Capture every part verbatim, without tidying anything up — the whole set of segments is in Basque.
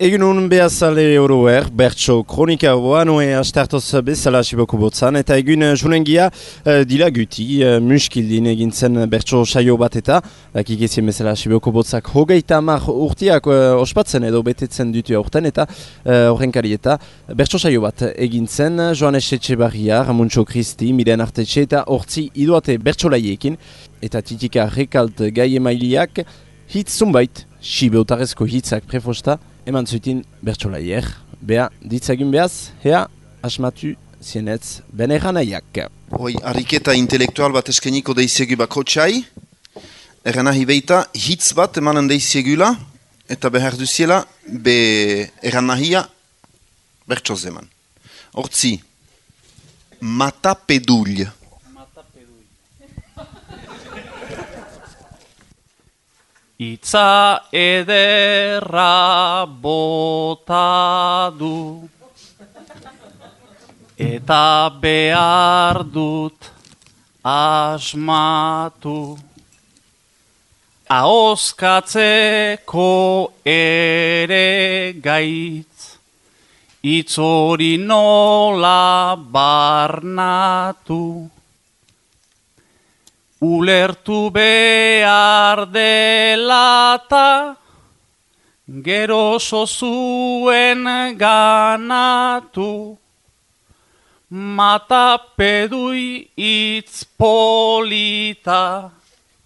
Egun hon behazale oroer, bertso kronika hoa, noe astartoz bezala asiboko botzan, eta egun julengia uh, dila guti, uh, muskildin egintzen bertso saio bat eta, bakik ezien bezala asiboko botzak hogeita amar urtiak uh, ospatzen edo betetzen dutu aurten, eta horrenkari uh, eta bertso saio bat egintzen, Joanes Etxebarria, Ramuntxo Kristi, Miren Artetxe eta hortzi iduate bertsolaiekin, eta titika rekalt gai emailiak, hitz zunbait, sibeotarezko hitzak prefosta, eman zuitin bertsolaier, beha ditzagin behaz, hea asmatu zienetz beneran aiak. Hoi, ariketa intelektual bat eskeniko deizegu bako txai, eran nahi beita hitz bat emanen deizegula, eta behar duziela, be eran nahia bertsoz eman. Hortzi, matapedull. Itza ederra bota du, eta behar dut asmatu, ahoskatzeko ere gaitz, hitz hori nola barnatu. Ulertu behar delata, gero zuen ganatu, matapedui itz polita,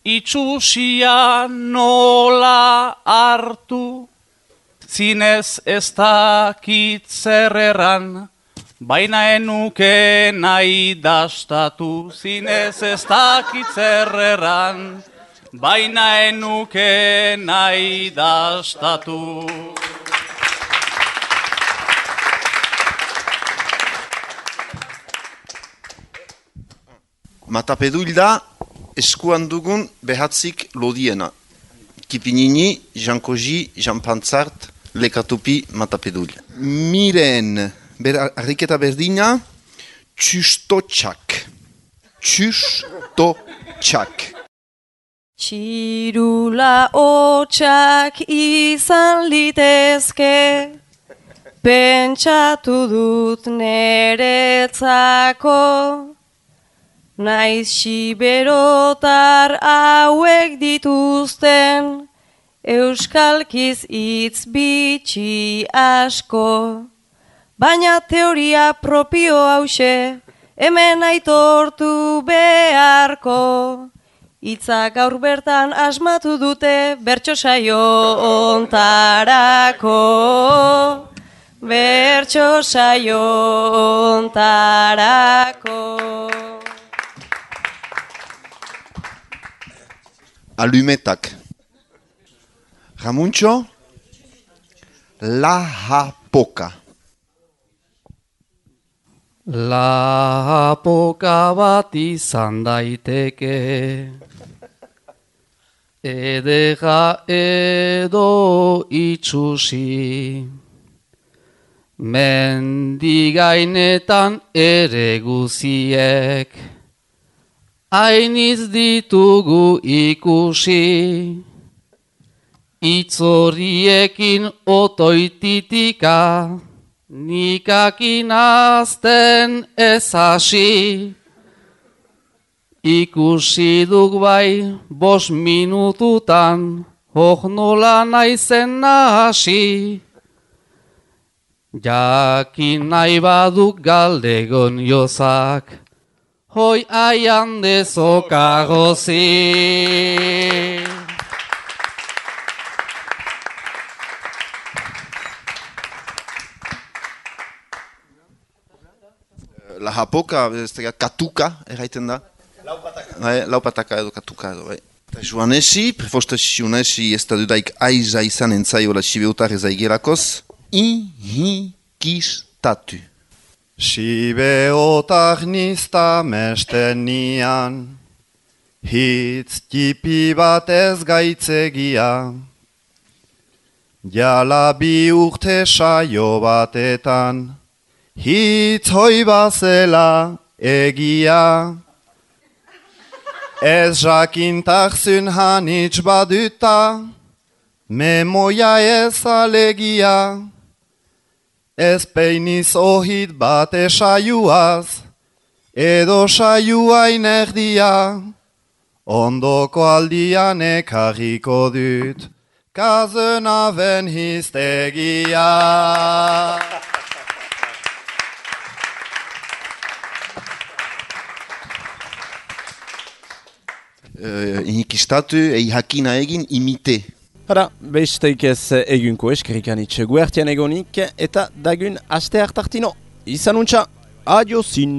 itxusia nola hartu, zinez ez dakit zer erran, baina enuke nahi dastatu, zinez ez dakit zer erran, baina enuke nahi dastatu. Matapedull da eskuan dugun behatzik lodiena. Kipinini, Jankoji, Janpantzart, lekatupi matapedull. Miren... Ber, arriketa berdina, txustotxak. Txustotxak. Txirula hotxak izan litezke, pentsatu dut neretzako, naiz siberotar hauek dituzten, euskalkiz hitz bitxi asko. Baina teoria propio hause, hemen aitortu beharko. Hitza gaur bertan asmatu dute bertso saio ontarako. Bertso saio ontarako. Alumetak. Ramuntxo, lahapoka. Lapoka bat izan daiteke, edera edo itxusi, mendigainetan ere guziek, hainiz ditugu ikusi, itzoriekin otoititika, nikakin azten ez hasi, ikusi duk bai bos minututan, hor nola naizen nahasi. Jakin nahi baduk galdegon jozak, hoi aian dezokagozi. La hapoka, ez da, katuka, erraiten da. Laupataka. Bai, laupataka edo katuka edo, bai. Eta Joanesi, prefostasi Joanesi ez da dudaik aiza izan entzaiola sibeotar ezaigerakoz, ihikistatu. Sibeotar nizta mestenian, hitz tipi bat ez gaitzegia, jala bi urte saio batetan, hitz hoi bazela egia, ez jakintak zun hanitz baduta, Memoia ez alegia, ez peiniz ohit bat esaiuaz, edo saioain erdia, ondoko aldian ekarriko dut, kazenaben hiztegia. Uh, Inikistatu, ei hakina egin, imite. Hara, besteik ez egunko eskerrikan itxe guertian egonik, eta dagun aste hartartino. Izan untxa, adiozin!